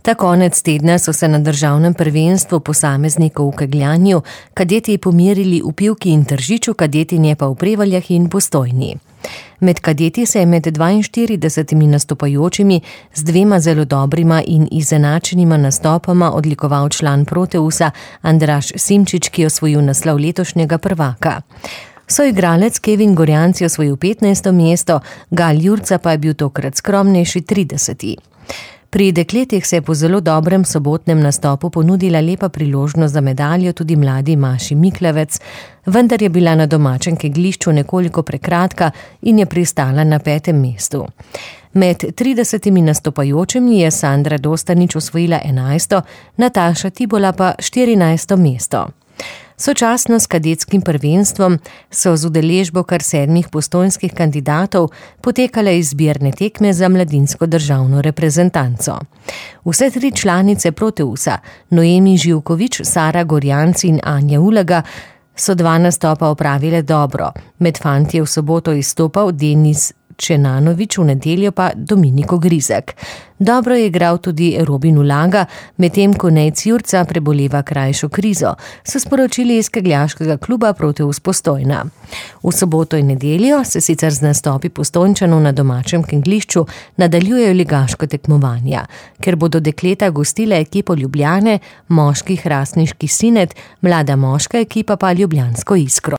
Ta konec tedna so se na državnem prvenstvu posameznikov v kegljanju kadeti pomerili v Pivki in Tržiču, kadetinje pa v Prevaljah in Postojni. Med kadeti se je med 42 nastopajočimi z 2 zelo dobrima in izenačenima nastopoma odlikoval član Proteusa Andraž Simčič, ki je osvojil naslov letošnjega prvaka. Soigralec Kevin Gorjanc je osvojil 15. mesto, Gal Jurca pa je bil tokrat skromnejši 30. Pri dekletih se je po zelo dobrem sobotnem nastopu ponudila lepa priložnost za medaljo tudi mladi Maši Miklevec, vendar je bila na domačem kegljišču nekoliko prekratka in je pristala na 5. mestu. Med 30 nastopajočimi je Sandra Dostanič osvojila 11., Nataša Tibola pa 14. mesto. Sočasno s kadetskim prvenstvom so z udeležbo kar 7 postojnskih kandidatov potekale izbirne tekme za mladinsko državno reprezentanco. Vse 3 članice Proteusa, Noemi Živkovič, Sara Gorjanc in Anja Ulega, so 2 nastopa opravile dobro. Med fantje v soboto izstopal Denis Čenanovič, v nedeljo pa Dominiko Grizek. Dobro je igral tudi Robin Ulaga, medtem ko Nejc Jurca preboleva krajšo krizo, so sporočili iz kegljaškega kluba Proteus Postojna. V soboto in nedeljo se sicer z nastopi Postojnčanov na domačem kegljišču nadaljujejo ligaško tekmovanja, ker bodo dekleta gostile ekipo Ljubljane, moški Hrastniški Sinet, mlada moška ekipa pa ljubljansko Iskro.